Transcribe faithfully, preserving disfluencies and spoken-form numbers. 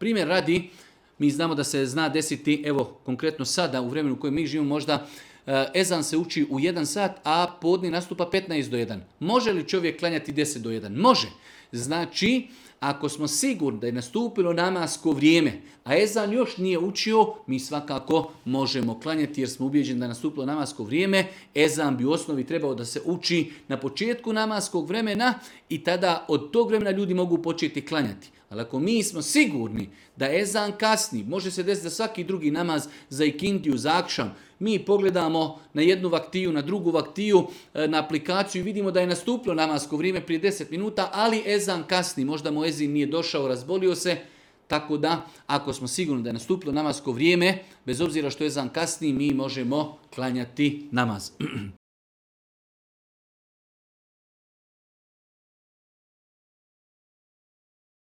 Primjer radi, mi znamo da se zna desiti, evo konkretno sada u vremenu u kojem mi živimo možda, ezan se uči u jedan sat, a podni nastupa petnaest do jedan. Može li čovjek klanjati deset do jedan? Može. Znači, ako smo sigurni da je nastupilo namasko vrijeme, a ezan još nije učio, mi svakako možemo klanjati jer smo ubijeđeni da je nastupilo namasko vrijeme. Ezan bi u osnovi trebao da se uči na početku namaskog vremena i tada od tog vremena ljudi mogu početi klanjati. Ali ako mi smo sigurni da ezan kasni, može se desiti da svaki drugi namaz za ikindiju, za akšam, mi pogledamo na jednu vaktiju, na drugu vaktiju, na aplikaciju i vidimo da je nastupilo namasko vrijeme prije deset minuta, ali ezan kasni, možda mu ezin nije došao, razbolio se, tako da ako smo sigurni da je nastupilo namasko vrijeme, bez obzira što ezan kasni, mi možemo klanjati namaz.